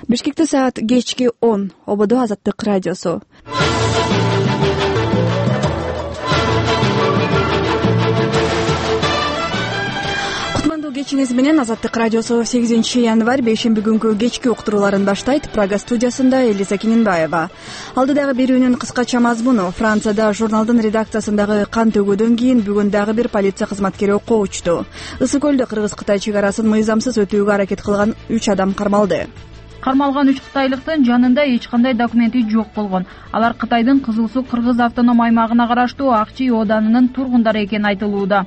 Бишкекте саат кечки 10. ОБД Азаттык радиосу. Кутмандуу кечиңиз менен Азаттык радиосу 8-январь бейшемби күнгү кечки уктурууларын баштайт. Прага студиясында Элиза Кининбаева. Алдыдагы берүүнүн кыскача мазмуну: Францияда журналдын редакциясындагы кан төгүүдөн кийин бүгүн дагы бир полиция кызматкери окко учту. Ысык көлдө Кыргыз-Кытай чек арасын мыйзамсыз өтүүгө аракет кылган 3 адам кармалды. Кармалган 3 кытайлыктын жанында эч кандай документи жок болгон. Алар Кытайдын Кызыл Суу Кыргыз автоном аймагына караштуу Акчи Оданынын тургундары экени айтылууда.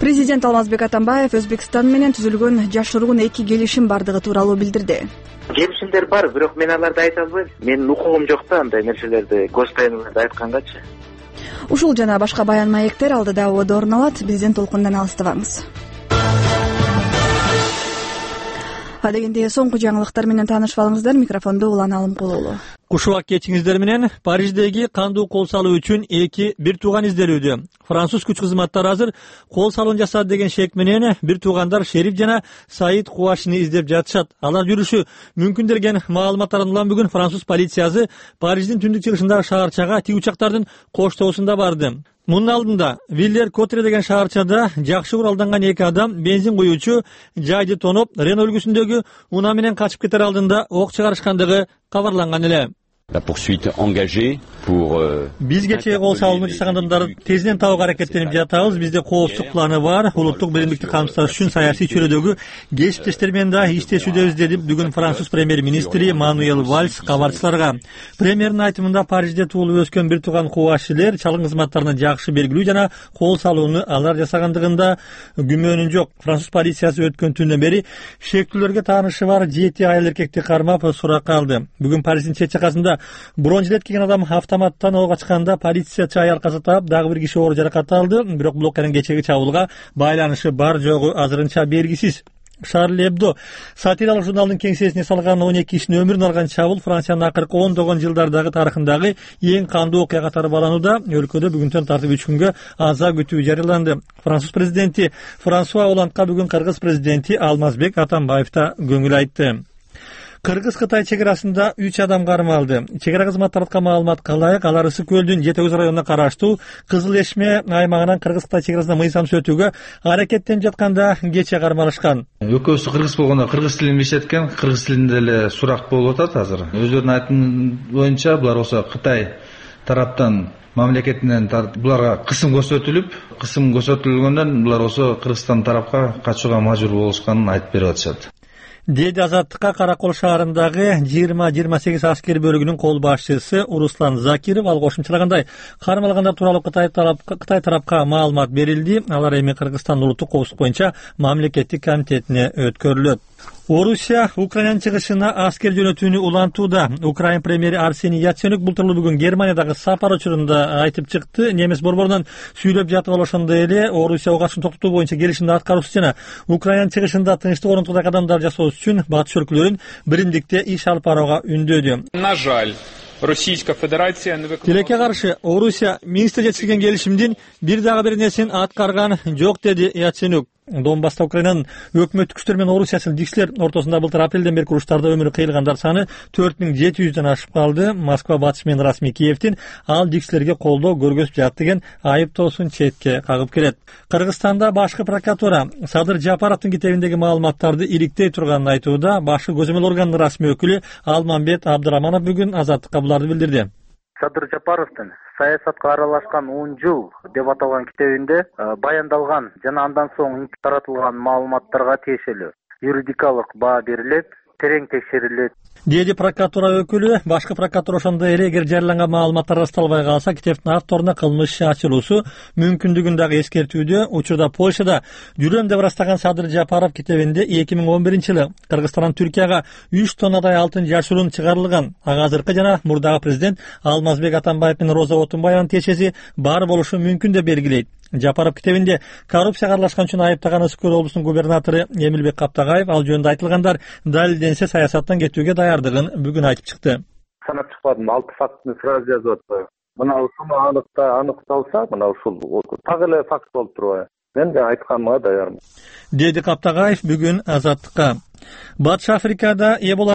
Президент Алмазбек Атамбаев Өзбекстан менен түзүлгөн жашыруун 2 келишим бардыгы тууралуу билдирди. Келишимдер бар, бирок мен аларды айта албайм. Менин укугум жок да андай нерселерди, гостайнларды айткангачы. Ушул жана башка баян маектер алдыда ободо орун алат. Бизден толкундан алыстабаңыз. Адегенде соңку жаңылыктар менен таанышып алыңыздар. Микрофондо Улан Алымкулуулу. Кушубак кечиңиздер менен Париждеги кандуу кол салуу үчүн 2 бир тууган изделүүдө. Француз күч кызматтары азыр кол салуун жасады деген шек менен бир туугандар Шериф жана Саид Куашини издеп жатышат. Алар жүрүшү мүмкүн деген маалыматтарын улам бүгүн француз полициясы Париждин түндүк чыгышындагы шаарчага тиг учактардын коштоосунда барды. Мунун алдында Виллер-Котре деген шаарчада жакшы куралданган 2 адам бензин куюучу жайды тоноп, Рено үлгүсүндөгү унаа менен качып кетер алдында ок чыгарышкандыгы кабарланган эле. La poursuite engagée pour Биз кечээ кол салууну жасаган адамдарды тезинен табууга аракеттенип жатабыз. Бизде коопсуздук планы бар. Улуттук биримдикти камсыздаш үчүн саясий чөйрөдөгү кесиптештер менен да иштешүүдөбүз, деди бүгүн француз премьер-министри Мануэль Вальс кабарчыларга. Премьердин айтымында Парижде туулуп өскөн бир тууган кубашчылар чалгын кызматтарына жакшы белгилүү жана кол салууну алар жасагандыгында күмөнүн жок. Француз полициясы өткөн түндөн бери шектүүлөргө таанышы бар 7 айыл эркекти кармап суракка алды. Бүгүн Париждин чет жакасында бронь жилет кийген адам автоматтан ого ачканда полициячы аял каза таап, дагы бир киши оор жаракат алды. Бирок бул окуянын кечеги чабуулга байланышы бар жогу азырынча белгисиз. Шарли Эбдо сатиралык журналдын кеңсесине салган 12 кишинин өмүрүн алган чабуул Франциянын акыркы 10 жылдардагы тарыхындагы эң кандуу окуя катары бааланууда. Өлкөдө бүгүнтөн тартып 3 күнгө аза күтүү жарыяланды. Француз президенти Франсуа Оландка бүгүн Кыргыз президенти Алмазбек Атамбаев да көңүл айтты. Кыргыз-Кытай чек арасында 3 адам кармалды. Чек ара кызматтарга маалыматка ылайык, алар Ысык көлдүн Жети көз районуна караштуу Кызыл Эшме аймагынан Кыргыз-Кытай чек арасына мыйзамсыз өтүүгө аракеттенип жатканда кече кармалышкан. Экөөсү кыргыз болгондо кыргыз тилин билишеткен, кыргыз тилинде эле сурак болуп атат азыр. Өздөрүнүн айтымы боюнча булар болсо Кытай тараптан мамлекетинен буларга кысым көрсөтүлгөндөн булар болсо Кыргызстан тарапка качууга мажбур болушканын айтып берип атышат. Деди Азаттыкка Каракол шаарындагы 20-28 аскер бөлүгүнүн кол башчысы Руслан Закиров. Ал кошумчалагандай, кармалгандар тууралуу Кытай тарапка маалымат берилди. Алар эми Кыргызстан улуттук коопсуздук боюнча мамлекеттик комитетине өткөрүлөт. Орусия Украинанын чыгышына аскер жөнөтүүнү улантууда. Украин премьери Арсений Яценюк бултурлуу бүгүн Германиядагы сапар учурунда айтып чыкты. Немис борборунан сүйлөп жатып ошондой эле Орусия огашын токтотуу боюнча келишимди аткаруусу жана Украинанын чыгышында тынчтык орнотуудагы кадамдар жасоо үчүн батыш өлкөлөрүн биримдикте иш алып барууга үндөөдү. На жаль, Российская Федерация Тилекке каршы Орусия Минскте жетишилген келишимдин бир дагы бир нерсени аткарган жок, деди Яценюк. Донбасста Украинанын өкмөттүк күчтөр менен Орусия силдигичилер ортосунда былтыр апрелден бери уруштарда өмүрү кыйылгандар саны 4700дөн ашып калды. Москва батыш менен расмий Киевдин ал дигичилерге колдоо көргөзүп жатты деген айыптоосун четке кагып келет. Кыргызстанда башкы прокуратура Садыр Жапаровдун китебиндеги маалыматтарды иликтей турганын айтууда. Башкы көзөмөл органдын расмий өкүлү Алмамбет Абдыраманов бүгүн Азаттыкка буларды билдирди. Садыр Жапаровдун саясатка аралашкан 10 жыл деп аталган китебинде баяндалган жана андан соң таратылган маалыматтарга тиешелүү юридикалык баа берилет, терең текшерилет, деди прокуратура өкүлү. Башкы прокуратура ошондой эле эгер жарыяланган маалыматтар ырасталбай калса, китептин авторуна кылмыш иши ачылуусу мүмкүндүгүн дагы эскертүүдө. Учурда Польшада жүрөм деп ырастаган Садыр Жапаров китебинде 2011-жылы Кыргызстандан Түркияга 3 тоннадай алтын жашыруун чыгарылган. Ага азыркы жана мурдагы президент Алмазбек Атамбаев менен Роза Отунбаеванын тиешеси бар болушу мүмкүн деп белгилейт. Жапаров китебинде коррупцияга аралашкан үчүн айыптаган Ысык көл облусунун губернатору Эмилбек Каптагаев ал жөнүндө айтылгандар далилденсе саясаттан кетүүгө даярдыгын бүгүн айтып чыкты. Санап чыкпадым, 6 фактыны сразу жазып атпайбы. Мына ушуну аныкталса, мына ушул так эле факт болуп турбайбы. Мен айтканыма даярмын, деди Каптагаев бүгүн Азаттыкка. Батыш Африкада Эбола